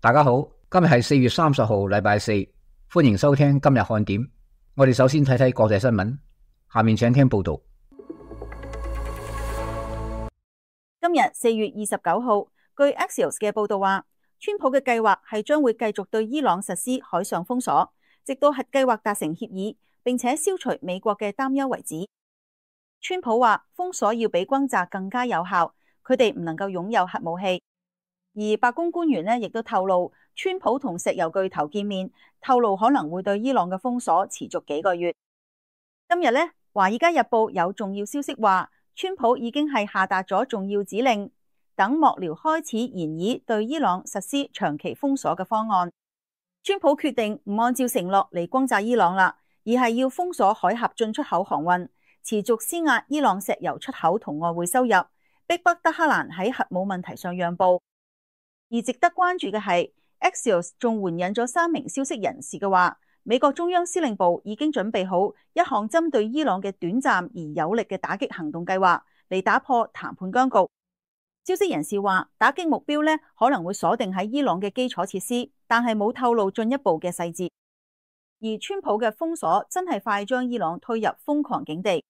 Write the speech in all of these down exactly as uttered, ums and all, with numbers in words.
大家好，今日係四月三十號，禮拜四，歡迎收聽今日看點。我哋首先睇睇國際新聞，下面請聽報道。今日四月二十九號，據 Axios 嘅報道話，川普嘅計劃係將會繼續對伊朗實施海上封鎖，直到核計劃達成協議，並且消除美國嘅擔憂為止。川普話封鎖要比轟炸更加有效，佢哋唔能夠擁有核武器。而白宮官員呢亦都透露，川普同石油巨頭見面，透露可能會對伊朗嘅封鎖持續幾個月。今日呢，《華爾街日報》有重要消息話，川普已經係下達咗重要指令，等幕僚開始研議對伊朗實施長期封鎖嘅方案。川普決定唔按照承諾嚟轟炸伊朗啦，而係要封鎖海峽進出口航運，持續施壓伊朗石油出口同外匯收入，逼迫德黑蘭喺核武問題上讓步。而值得關注嘅係 Axios 仲援引咗三名消息人士嘅話，美國中央司令部已經準備好一項針對伊朗嘅短暫而有力嘅打擊行動計劃，嚟打破談判僵局。消息人士話，打擊目標呢可能會鎖定喺伊朗嘅基礎設施，但係冇透露進一步嘅細節。而川普嘅封鎖真係快將伊朗推入瘋狂境地。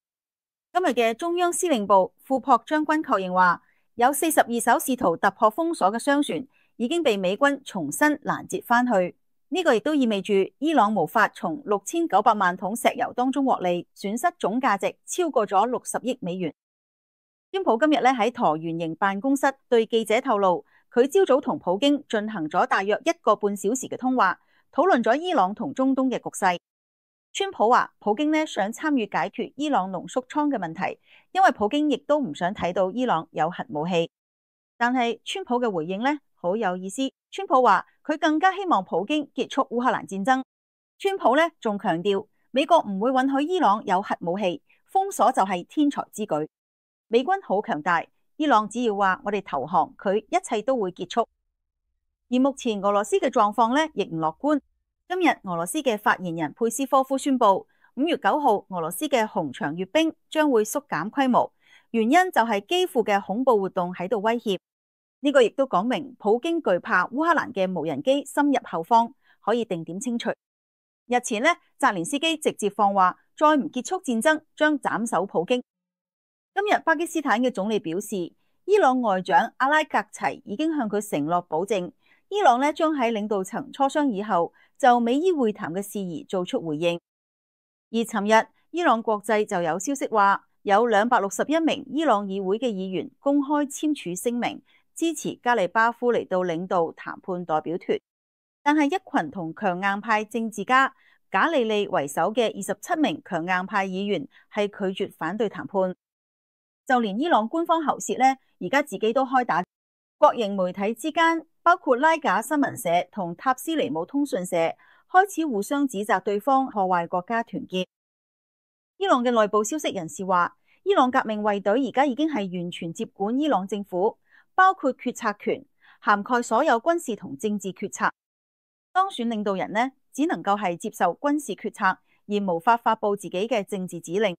今日嘅中央司令部庫珀將軍確認話，有四十二艘試圖突破封鎖嘅商船已經被美軍重新攔截返去，呢個亦都意味住伊朗無法從六千九百萬桶石油當中獲利，損失總價值超過咗六十億美元。川普今日咧喺橢圓形辦公室對記者透露，佢朝早同普京進行咗大約一個半小時嘅通話，討論咗伊朗同中東嘅局勢。川普話，普京呢想參與解決伊朗濃縮倉嘅問題，因為普京亦都唔想睇到伊朗有核武器。但係川普嘅回應呢好有意思，川普話佢更加希望普京結束烏克蘭戰爭。川普呢仲強調，美國唔會允許伊朗有核武器，封鎖就係天才之舉。美軍好強大，伊朗只要話我哋投降，佢一切都會結束。而目前俄羅斯嘅狀況呢亦唔樂觀。今日俄羅斯嘅發言人佩斯科夫宣布，五月九號俄羅斯嘅紅場閱兵將會縮減規模，原因就係基輔嘅恐怖活動喺度威脅。呢個亦都講明普京懼怕烏克蘭嘅無人機深入後方，可以定點清除。日前呢，澤連斯基直接放話，再唔結束戰爭將斬首普京。今日巴基斯坦嘅總理表示，伊朗外長阿拉格齊已經向佢承諾保證，伊朗呢將喺領導層磋商以後就美伊會談嘅事宜做出回應。而尋日伊朗國際就有消息話，有兩百六十一名伊朗議會嘅議員公開簽署聲明，支持加利巴夫嚟到領導談判代表團。但係一群同強硬派政治家賈利利為首嘅二十七名強硬派議員係拒絕反對談判。就連伊朗官方喉舌呢，而家自己都開打。國營媒體之間，包括拉賈新聞社同塔斯尼姆通訊社，開始互相指責對方破壞國家團結。伊朗嘅內部消息人士話，伊朗革命衛隊而家已經係完全接管伊朗政府，包括決策權，涵蓋所有軍事同政治決策。當選領導人呢，只能夠係接受軍事決策，而無法發佈自己嘅政治指令。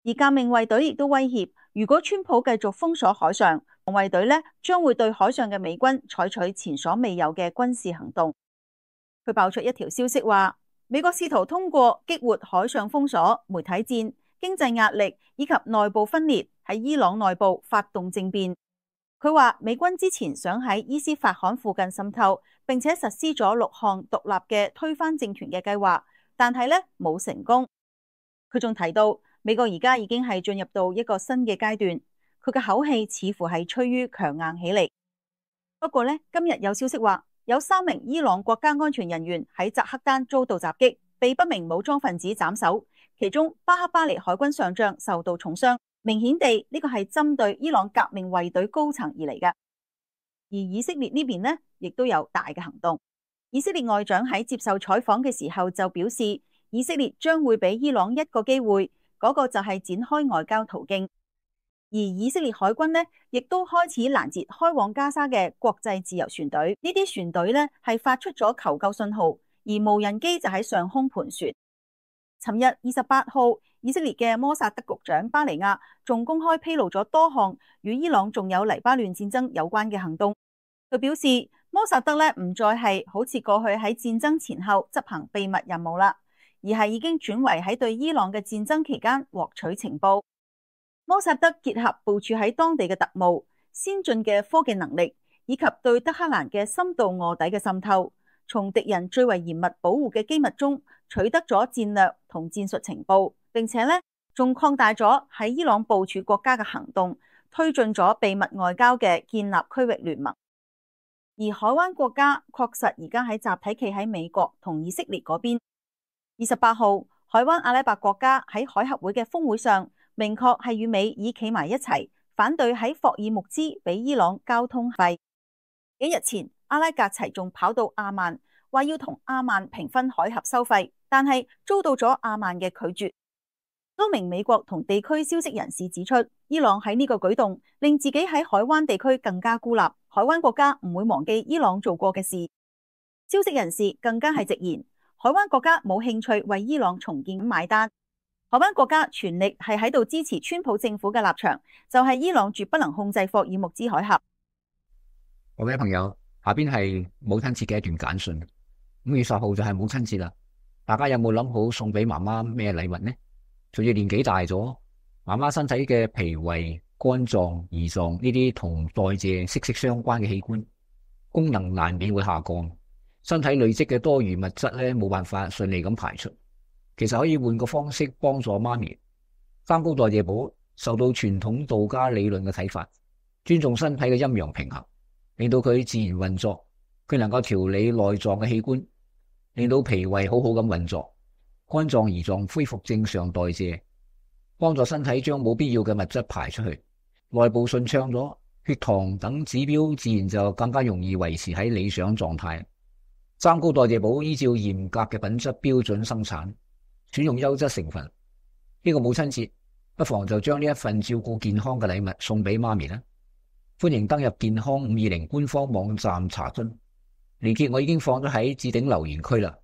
而革命衛隊亦都威脅，如果川普繼續封鎖海上，衛隊呢將會對海上嘅美軍採取前所未有嘅軍事行動。佢爆出一條消息話，美國試圖通過激活海上封鎖、媒體戰、經濟壓力以及內部分裂，喺伊朗內部發動政變。佢話美軍之前想喺伊斯法罕附近滲透，並且實施咗六項獨立嘅推翻政權嘅計劃，但係呢冇成功。佢仲提到，美國而家已經係進入到一個新嘅階段，佢嘅口氣似乎係趨於強硬起嚟。不過呢，今日有消息話，有三名伊朗國家安全人員喺扎克丹遭到襲擊，被不明武裝分子斬首，其中巴克巴尼海軍上將受到重傷。明顯地，呢個係針對伊朗革命衛隊高層而嚟嘅。而以色列呢邊呢，亦都有大嘅行動。以色列外長喺接受採訪嘅時候就表示，以色列將會俾伊朗一個機會。嗰個就係展開外交途徑，而以色列海軍呢，亦都開始攔截開往加沙嘅國際自由船隊。呢啲船隊呢，係發出咗求救信號，而無人機就喺上空盤旋。尋日二十八號，以色列嘅摩薩德局長巴尼亞仲公開披露咗多項與伊朗仲有黎巴嫩戰爭有關嘅行動。佢表示，摩薩德咧唔再係好似過去喺戰爭前後執行秘密任務啦，而係已經轉為喺對伊朗嘅戰爭期間獲取情報。摩薩德結合部署喺當地嘅特務、先進嘅科技能力，以及對德黑蘭嘅深度臥底嘅滲透，從敵人最為嚴密保護嘅機密中取得咗戰略同戰術情報，並且咧仲擴大咗喺伊朗部署國家嘅行動，推進咗秘密外交嘅建立區域聯盟。而海灣國家確實而家喺集體企喺美國同以色列嗰邊。二十八號，海灣阿拉伯國家喺海合會嘅峰會上，明確係與美以企埋一齊，反對喺霍爾木茲俾伊朗交通費。幾日前，阿拉格齊仲跑到阿曼，話要同阿曼平分海峽收費，但係遭到咗阿曼嘅拒絕。多名美國同地區消息人士指出，伊朗喺呢個舉動令自己喺海灣地區更加孤立，海灣國家唔會忘記伊朗做過嘅事。消息人士更加係直言，海灣國家冇興趣為伊朗重建買單。海灣國家全力係喺度支持川普政府嘅立場，就係伊朗絕不能控制霍爾木茲海峽。各位朋友，下邊係母親節嘅一段簡訊。五月十號就係母親節啦，大家有冇諗好送俾媽媽咩禮物呢？隨住年紀大咗，媽媽身體嘅脾胃、肝臟、胰臟呢啲同代謝息息相關嘅器官功能難免會下降，身體累積嘅多餘物質咧冇辦法順利咁排出。其實可以換個方式幫助媽咪。三高代謝補受到傳統道家理論嘅啟發，尊重身體嘅陰陽平衡，令到佢自然運作，佢能夠調理內臟嘅器官，令到脾胃好好咁運作，肝臟胰臟恢復正常代謝，幫助身體將冇必要嘅物質排出去，內部順暢咗，血糖等指標自然就更加容易維持喺理想狀態。三高代謝補依照嚴格嘅品質標準生產，選用優質成分。呢個母親節不妨就將呢一份照顧健康嘅禮物送俾媽咪啦。歡迎登入健康五二零官方網站查詢，連結我已經放咗喺置頂留言區啦。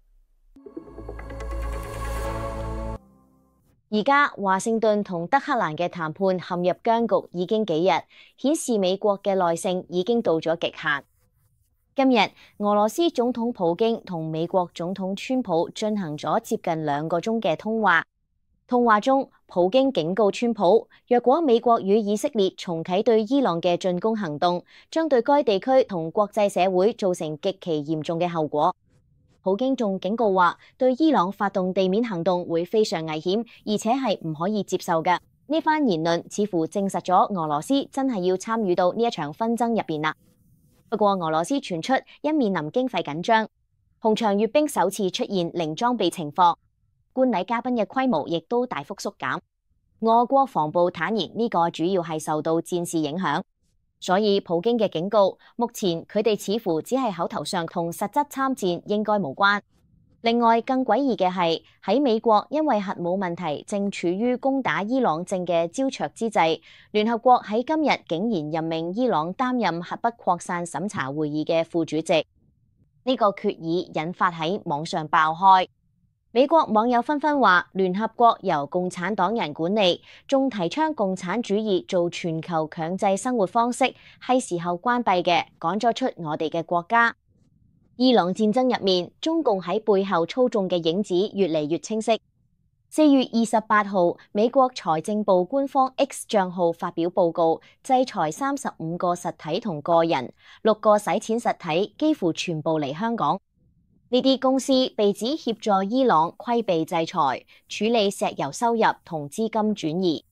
而家華盛頓同德黑蘭嘅談判陷入僵局已經幾日，顯示美國嘅耐性已經到咗極限。今日俄羅斯總統普京同美國總統川普進行咗接近兩個鐘嘅通話。通話中，普京警告川普，若果美國與以色列重啟對伊朗嘅進攻行動，將對該地區同國際社會造成極其嚴重嘅後果。普京仲警告話，對伊朗發動地面行動會非常危險，而且係唔可以接受嘅。呢番言論似乎證實咗俄羅斯真係要參與到呢一場紛爭入邊啦。不過俄羅斯傳出因面臨經費緊張，紅場閱兵首次出現零裝備情況，觀禮嘉賓嘅規模亦都大幅縮減。俄國防部坦言呢個主要係受到戰事影響，所以普京嘅警告，目前佢哋似乎只係口頭上，同實質參戰應該無關。另外更詭異嘅係，喺美國因為核武問題正處於攻打伊朗正嘅焦灼之際，聯合國喺今日竟然任命伊朗擔任核不擴散審查會議嘅副主席。呢個決議引發喺網上爆開，美國網友紛紛話聯合國由共產黨人管理，仲提倡共產主義做全球強制生活方式，係時候關閉嘅，趕咗出我哋嘅國家。伊朗戰爭入面，中共喺背後操縱嘅影子越嚟越清晰。四月二十八號，美國財政部官方 X 賬號發表報告，制裁三十五個實體同個人，六個洗錢實體幾乎全部嚟香港。呢啲公司被指協助伊朗規避制裁，處理石油收入同資金轉移。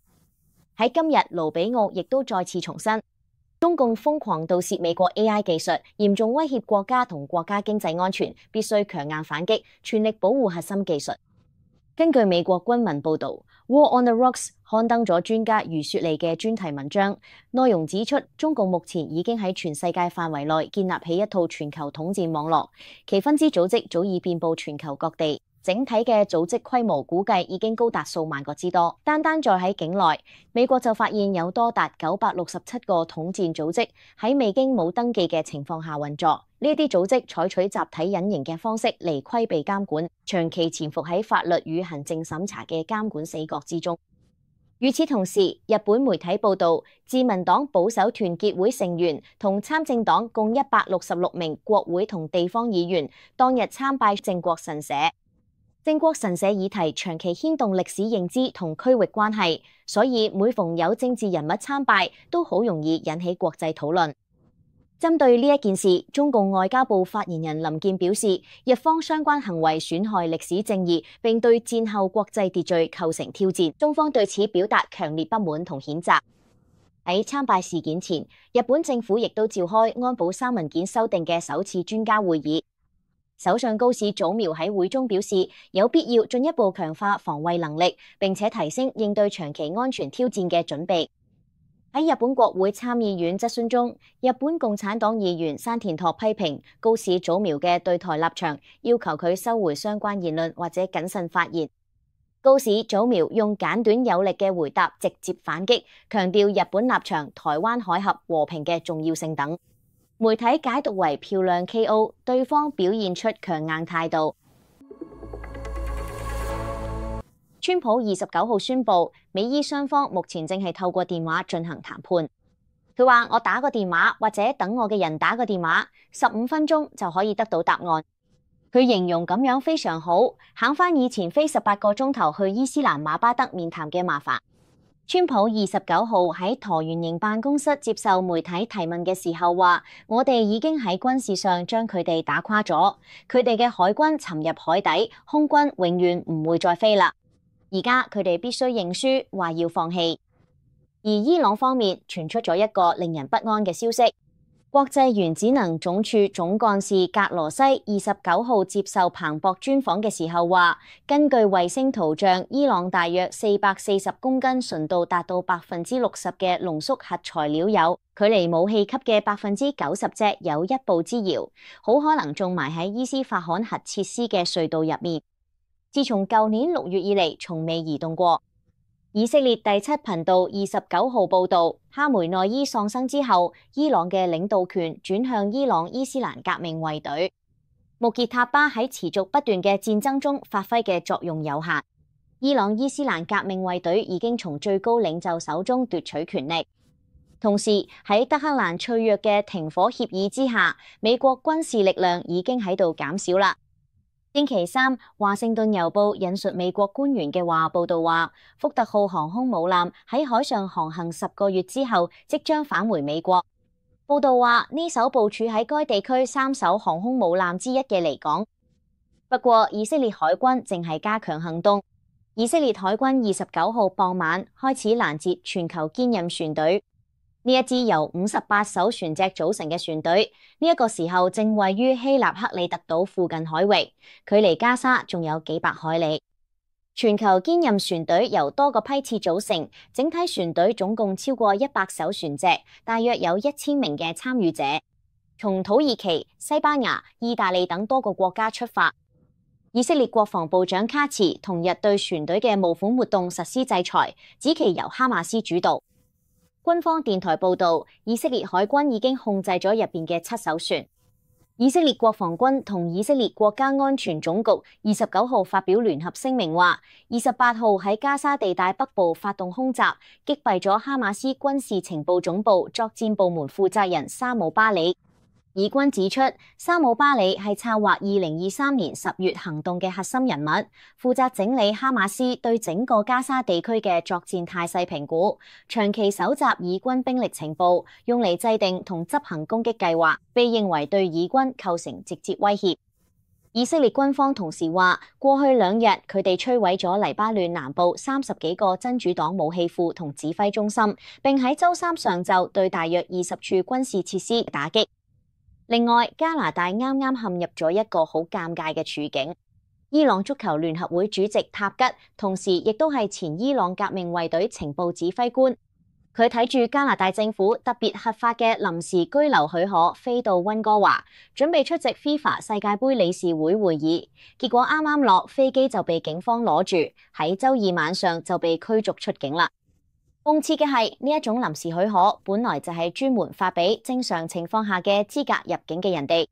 喺今日，盧比奧亦都再次重申，中共瘋狂盜竊美國 A I 技術，嚴重威脅國家同國家經濟安全，必須強硬反擊，全力保護核心技術。根據美國軍文報道，《War on the Rocks》刊登咗專家余雪莉嘅專題文章，內容指出，中共目前已經喺全世界範圍內建立起一套全球統戰網絡，其分支組織早已遍佈全球各地。整體嘅組織規模估計已經高達數萬個之多。單單在喺境內，美國就發現有多達九百六十七個統戰組織喺未經冇登記嘅情況下運作。呢啲組織採取集體隱形嘅方式嚟規避監管，長期潛伏喺法律與行政審查嘅監管死角之中。與此同時，日本媒體報道，自民黨保守團結會成員同參政黨共一百六十六名國會同地方議員當日參拜靖國神社。靖國神社議題長期牽動歷史認知同區域關係，所以每逢有政治人物參拜，都好容易引起國際討論。針對呢一件事，中共外交部發言人林健表示，日方相關行為損害歷史正義，並對戰後國際秩序構成挑戰，中方對此表達強烈不滿同譴責。喺參拜事件前，日本政府亦都召開安保三文件修訂嘅首次專家會議。首相高市早苗喺會中表示，有必要進一步強化防衛能力，並且提升應對長期安全挑戰嘅準備。喺日本國會參議院質詢中，日本共產黨議員山田拓批評高市早苗嘅對台立場，要求佢收回相關言論或者謹慎發言。高市早苗用簡短有力嘅回答直接反擊，強調日本立場、台灣海峽和平嘅重要性等。媒體解讀為漂亮 K O， 對方表現出強硬態度。川普二十九號宣布，美伊雙方目前正係透過電話進行談判。佢話：我打個電話或者等我嘅人打個電話，十五分鐘就可以得到答案。佢形容咁樣非常好，省翻以前飛十八個鐘頭去伊斯蘭馬巴德面談嘅麻煩。川普二十九號喺橢圓形辦公室接受媒體提問嘅時候話：我哋已經喺軍事上將佢哋打垮咗，佢哋嘅海軍沉入海底，空軍永遠唔會再飛啦。而家佢哋必須認輸，話要放棄。而伊朗方面傳出咗一個令人不安嘅消息，國際原子能總署總幹事格羅西二十九號接受彭博專訪嘅時候話，根據衛星圖像，伊朗大約四百四十公斤純度達到百分之六十嘅濃縮核材料有，距離武器級嘅百分之九十只有一步之遙，好可能種埋喺伊斯法罕核設施嘅隧道入面。自從舊年六月以嚟，從未移動過。以色列第七頻道二十九號報導，哈梅內伊喪生之後，伊朗嘅領導權轉向伊朗伊斯蘭革命衛隊。穆傑塔巴喺持續不斷嘅戰爭中發揮嘅作用有限。伊朗伊斯蘭革命衛隊已經從最高領袖手中奪取權力。同時喺德黑蘭脆弱嘅停火協議之下，美國軍事力量已經喺度減少啦。星期三，華盛頓郵報引述美國官員嘅話報道話，福特號航空母艦喺海上航行十個月之後，即將返回美國。報道話，呢艘部署喺該地區三艘航空母艦之一嘅離港。不過，以色列海軍正係加強行動。以色列海軍二十九號傍晚開始攔截全球堅韌船隊。呢一支由五十八艘船隻組成嘅船隊，呢、這、一個時候正位於希臘克里特島附近海域，距離加沙仲有幾百海里。全球堅韌船隊由多個批次組成，整體船隊總共超過一百艘船隻，大約有一千名嘅參與者，從土耳其、西班牙、意大利等多個國家出發。以色列國防部長卡茨同日對船隊嘅募款活動實施制裁，指其由哈馬斯主導。軍方電台報導，以色列海軍已經控制咗入邊嘅七艘船。以色列國防軍同以色列國家安全總局二十九號發表聯合聲明話，二十八號喺加沙地帶北部發動空襲，擊斃咗哈馬斯軍事情報總部作戰部門負責人沙姆巴里。以軍指出，沙姆巴里係策劃二零二三年十月行動嘅核心人物，負責整理哈馬斯對整個加沙地區嘅作戰態勢評估，長期搜集以軍兵力情報，用嚟制定同執行攻擊計劃，被認為對以軍構成直接威脅。以色列軍方同時話，過去兩日佢哋摧毀咗黎巴嫩南部三十幾個真主黨武器庫同指揮中心，並喺週三上晝對大約二十處軍事設施打擊。另外，加拿大啱啱陷入咗一個好尷尬嘅處境。伊朗足球聯合會主席塔吉，同時亦都係前伊朗革命衛隊情報指揮官。佢睇住加拿大政府特別核發嘅臨時居留許可，飛到溫哥華，準備出席 FIFA 世界盃理事會會議。結果啱啱落飛機就被警方攞住，喺週二晚上就被驅逐出境啦。諷刺嘅係，呢一種臨時許可本來就係專門發俾正常情況下嘅資格入境嘅人哋。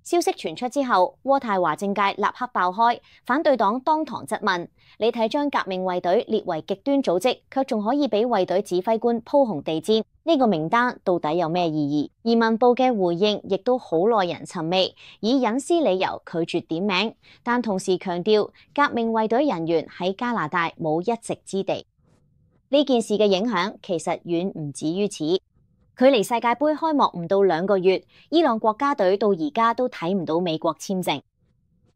消息傳出之後，渥太華政界立刻爆開，反對黨當堂質問：你睇將革命衛隊列為極端組織，卻仲可以俾衛隊指揮官鋪紅地氈，呢個名單到底有咩意義？移民部嘅回應亦都好耐人尋味，以隱私理由拒絕點名，但同時強調革命衛隊人員喺加拿大冇一席之地。呢件事嘅影響其實遠唔止於此。距離世界盃開幕唔到兩個月，伊朗國家隊到而家都睇唔到美國簽證。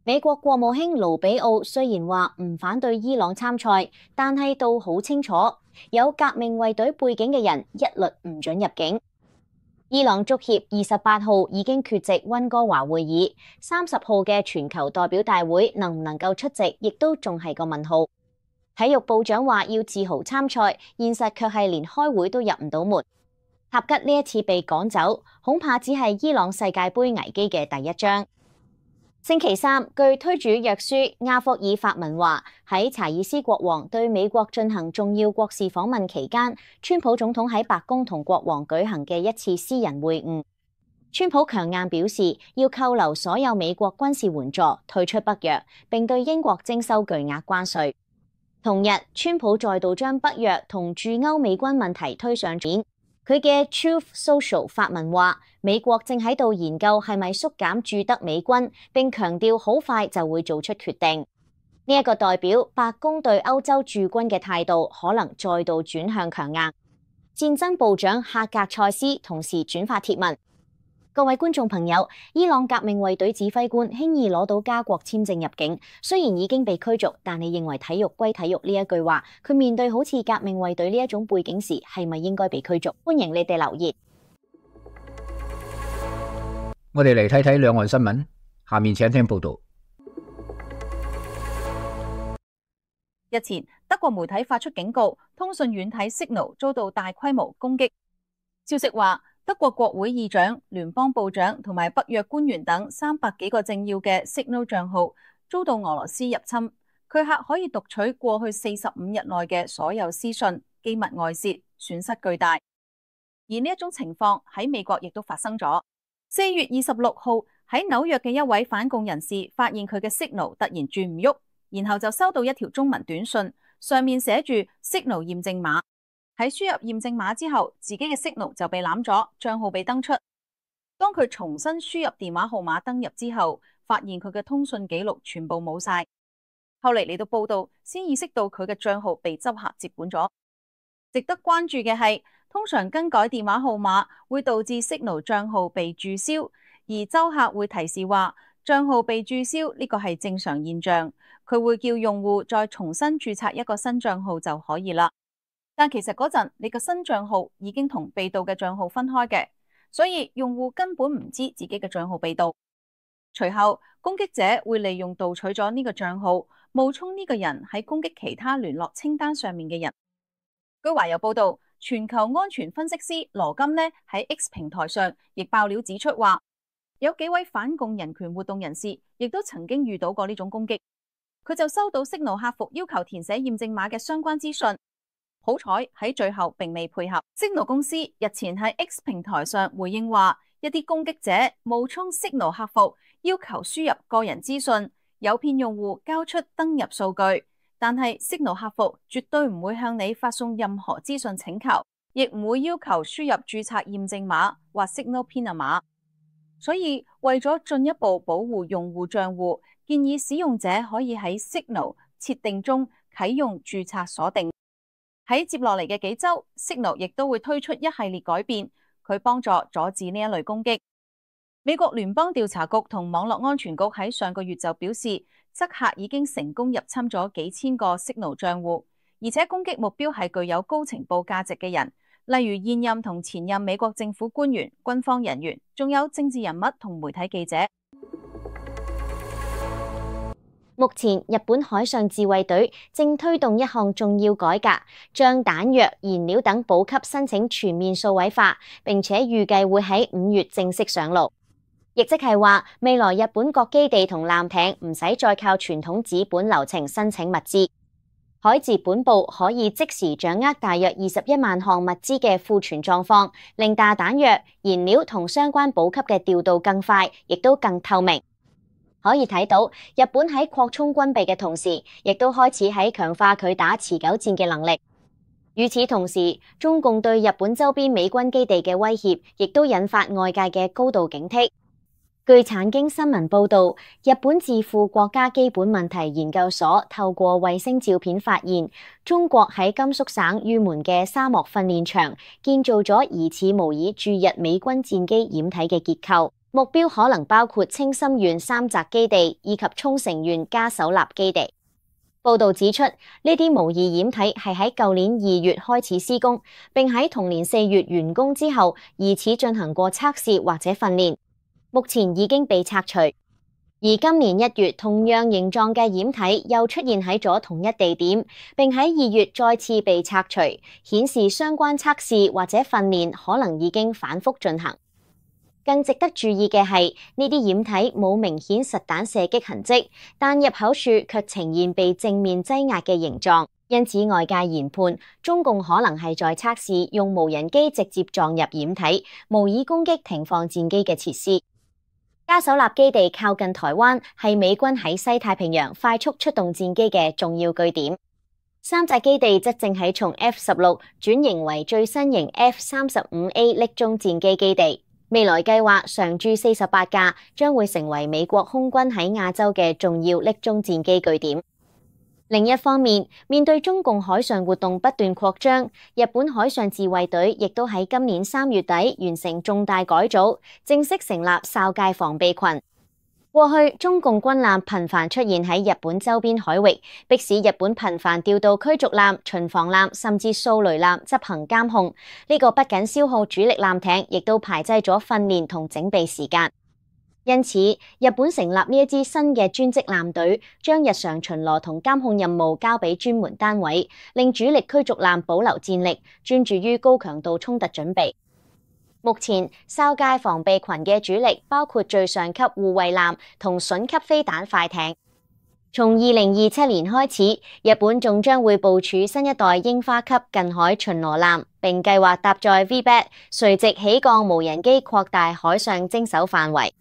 美國國務卿盧比奧雖然話唔反對伊朗參賽，但係都好清楚，有革命衛隊背景嘅人一律唔准入境。伊朗足協二十八號已經缺席溫哥華會議，三十號嘅全球代表大會能唔能夠出席，亦都仲係個問號。體育部長話要自豪參賽，現實卻係連開會都入唔到門。塔吉呢一次被趕走，恐怕只係伊朗世界盃危機嘅第一章。星期三，據推主約書亞霍爾發文話，喺查爾斯國王對美國進行重要國事訪問期間，川普總統喺白宮同國王舉行嘅一次私人會晤。川普強硬表示要扣留所有美國軍事援助，退出北約，並對英國徵收巨額關稅。同日，川普再度將北約同駐歐美軍問題推上面。佢嘅 Truth Social 發文話，美國正喺度研究係咪縮減駐德美軍，並強調好快就會做出決定。呢一個代表白宮對歐洲駐軍嘅態度可能再度轉向強硬。戰爭部長哈格塞斯同時轉發貼文。各位觀眾朋友，伊朗革命衛隊指揮官輕易攞到加國簽證入境，雖然已經被驅逐，但你認為體育歸體育呢一句話，佢面對好似革命衛隊呢一種背景時，係咪應該被驅逐？歡迎你哋留言。我哋嚟睇睇兩岸新聞，下面請聽報道。日前，德國媒體發出警告，通訊軟體 Signal 遭到大規模攻擊。消息話，德國國會議長、聯邦部長同埋北約官員等三百幾個政要嘅 Signal 賬號遭到俄羅斯入侵，駭客可以讀取過去四十五日內嘅所有私訊，機密外泄，損失巨大。而呢一種情況喺美國亦都發生咗。四月二十六號喺紐約嘅一位反共人士發現佢嘅 Signal 突然轉唔喐，然後就收到一條中文短信，上面寫住 Signal 驗證碼。喺輸入驗證碼之後，自己嘅 Signal 就被攬咗，賬號被登出。當佢重新輸入電話號碼登入之後，發現佢嘅通訊記錄全部冇晒。後嚟嚟到報道，先意識到佢嘅賬號被執客接管咗。值得關注嘅係，通常更改電話號碼會導致 Signal 賬號被註銷，而周客會提示話賬號被註銷呢個係正常現象，佢會叫用戶再重新註冊一個新賬號就可以啦。但其實嗰陣你個新賬號已經同被盜嘅賬號分開嘅，所以用戶根本唔知自己嘅賬號被盜。隨後攻擊者會利用盜取咗呢個賬號，冒充呢個人喺攻擊其他聯絡清單上面嘅人。據華郵報道，全球安全分析師羅金呢喺 X 平台上亦爆料指出話，有幾位反共人權活動人士亦都曾經遇到過呢種攻擊。佢就收到 Signal 客服要求填寫驗證碼嘅相關資訊。好彩喺最後並未配合。Signal 公司日前喺 X 平台上回應話，一啲攻擊者冒充 Signal 客服，要求輸入個人資訊，誘騙用戶交出登入數據。但係 Signal 客服絕對唔會向你發送任何資訊請求，亦唔會要求輸入註冊驗證碼或 Signal PIN 碼。所以為咗進一步保護用戶賬戶，建議使用者可以喺 Signal 設定中啟用註冊鎖定。喺接落嚟嘅幾週 ，Signal 亦都會推出一系列改變，佢幫助阻止呢一類攻擊。美國聯邦調查局同網絡安全局喺上個月就表示，黑客已經成功入侵咗幾千個 Signal 賬戶，而且攻擊目標係具有高情報價值嘅人，例如現任同前任美國政府官員、軍方人員，仲有政治人物同媒體記者。目前，日本海上自衛隊正推動一項重要改革，將彈藥、燃料等補給申請全面數位化，並且預計會喺五月正式上路。亦即係話，未來日本各基地同艦艇唔使再靠傳統紙本流程申請物資。海自本部可以即時掌握大約二十一萬項物資嘅庫存狀況，令大彈藥、燃料同相關補給嘅調度更快，亦都更透明。可以睇到，日本喺擴充軍備嘅同時，亦都開始喺強化佢打持久戰嘅能力。與此同時，中共對日本周邊美軍基地嘅威脅，亦都引發外界嘅高度警惕。據產經新聞報道，日本智庫國家基本問題研究所透過衛星照片發現，中國喺甘肅省玉門嘅沙漠訓練場建造咗疑似模擬駐日美軍戰機掩體嘅結構，目標可能包括青森縣三澤基地以及沖繩縣加手納基地。報道指出，呢啲模擬掩體係喺舊年二月開始施工，並喺同年四月完工之後，疑似進行過測試或者訓練。目前已經被拆除，而今年一月同樣形狀嘅掩體又出現喺咗同一地點，並喺二月再次被拆除，顯示相關測試或者訓練可能已經反覆進行。更值得注意嘅係，呢啲掩體冇明顯實彈射擊痕跡，但入口處卻呈現被正面擠壓嘅形狀，因此外界研判中共可能係在測試用無人機直接撞入掩體，模擬攻擊停放戰機嘅設施。加手納基地靠近台灣，係美軍喺西太平洋快速出動戰機嘅重要據點。三澤基地則正喺從 F 十六轉型為最新型 F 三十五 A 匿蹤戰機基地，未來計劃常駐四十八架，將會成為美國空軍喺亞洲嘅重要匿蹤戰機據點。另一方面，面對中共海上活動不斷擴張，日本海上自衛隊亦都喺今年三月底完成重大改組，正式成立哨戒防備群。過去中共軍艦頻繁出現喺日本周邊海域，迫使日本頻繁調到驅逐艦、巡防艦甚至掃雷艦執行監控。呢、這個不僅消耗主力艦艇，亦都排擠咗訓練同整備時間。因此，日本成立呢一支新嘅專職艦隊，將日常巡邏同監控任務交俾專門單位，令主力驅逐艦保留戰力，專注於高強度衝突準備。目前，哨戒防備群嘅主力包括最上級護衛艦同隼級飛彈快艇。從二零二七年開始，日本仲將會部署新一代櫻花級近海巡邏艦，並計劃搭載 V BAT 垂直起降無人機，擴大海上偵搜範圍。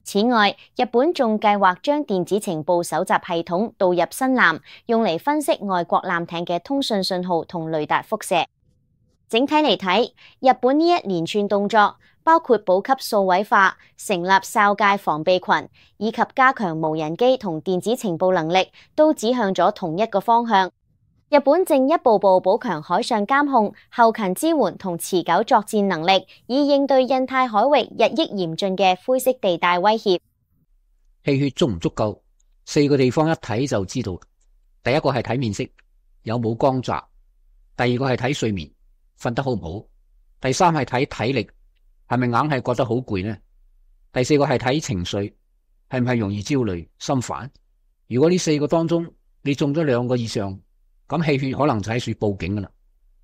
此外，日本仲計劃將電子情報搜集系統導入新艦，用嚟分析外國艦艇嘅通訊信號同雷達輻射。整體嚟睇，日本呢一連串動作，包括補給數位化、成立哨戒防備群，以及加強無人機同電子情報能力，都指向咗同一個方向。日本正一步步補強海上監控、後勤支援同持久作戰能力，以應對印太海域日益嚴峻嘅灰色地帶威脅。氣血足唔足夠？四個地方一睇就知道。第一個係睇面色，有冇光澤；第二個係睇睡眠，瞓得好唔好；第三係睇體力，係咪硬係覺得好攰呢？第四個係睇情緒，係唔係容易焦慮、心煩？如果呢四個當中你中咗兩個以上，咁氣血可能就喺處報警噶啦。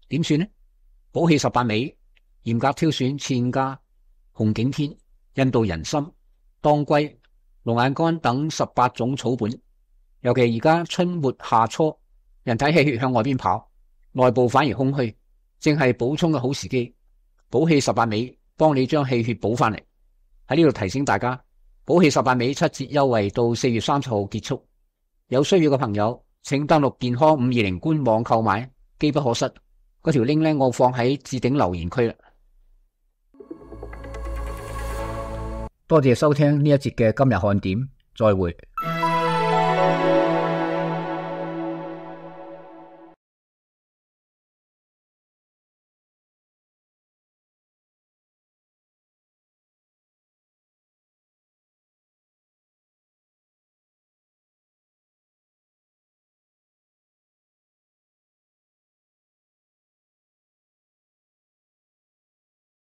點算呢？補氣十八味，嚴格挑選茜家、紅景天、印度人參、當歸、龍眼乾等十八種草本。尤其而家春末夏初，人體氣血向外邊跑，內部反而空虛，正係補充嘅好時機。補氣十八味幫你將氣血補翻嚟。喺呢度提醒大家，補氣十八味七折優惠到四月三十號結束，有需要嘅朋友請登錄健康五二零官網購買，機不可失。嗰條 link 咧，我放喺置頂留言區啦。多謝收聽呢一節嘅今日看點，再會。